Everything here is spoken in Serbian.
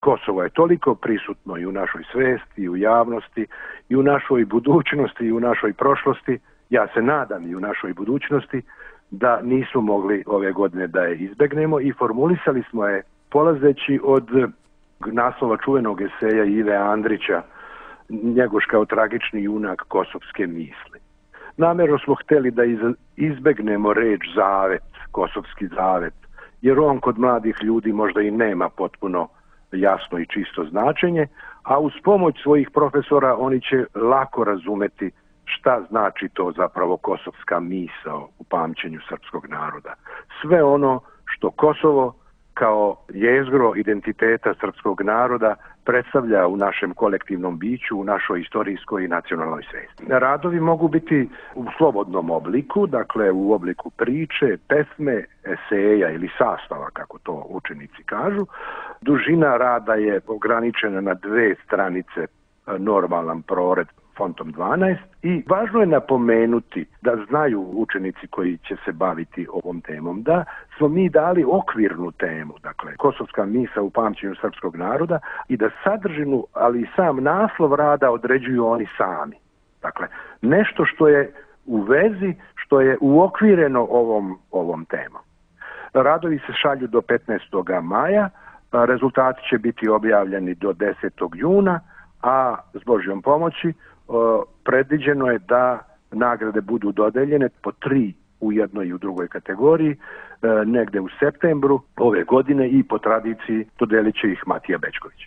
Kosovo je toliko prisutno i u našoj svesti, i u javnosti, i u našoj budućnosti, i u našoj prošlosti, ja se nadam i u našoj budućnosti, da nismo mogli ove godine da je izbegnemo i formulisali smo je polazeći od naslova čuvenog eseja Ive Andrića Njegoš kao tragični junak kosovske misli. Namjerno smo htjeli da izbegnemo reč zavet, kosovski zavet, jer on kod mladih ljudi možda i nema potpuno jasno i čisto značenje, a uz pomoć svojih profesora oni će lako razumeti šta znači to zapravo kosovska misao u pamćenju srpskog naroda. Sve ono što Kosovo kao jezgro identiteta srpskog naroda predstavlja u našem kolektivnom biću, u našoj istorijskoj i nacionalnoj svesti. Radovi mogu biti u slobodnom obliku, dakle u obliku priče, pesme, eseja ili sastava, kako to učenici kažu. Dužina rada je ograničena na 2 stranice, normalan prored fontom 12 i važno je napomenuti da znaju učenici koji će se baviti ovom temom da smo mi dali okvirnu temu, dakle kosovska misa u pamćenju srpskog naroda i da sadržinu, ali i sam naslov rada određuju oni sami. Dakle, nešto što je u vezi, što je uokvireno ovom temom. Radovi se šalju do 15. maja, rezultati će biti objavljeni do 10. juna, a s Božjom pomoći predviđeno je da nagrade budu dodeljene po 3 u jednoj i u drugoj kategoriji, negde u septembru ove godine i po tradiciji dodelit će ih Matija Bećković.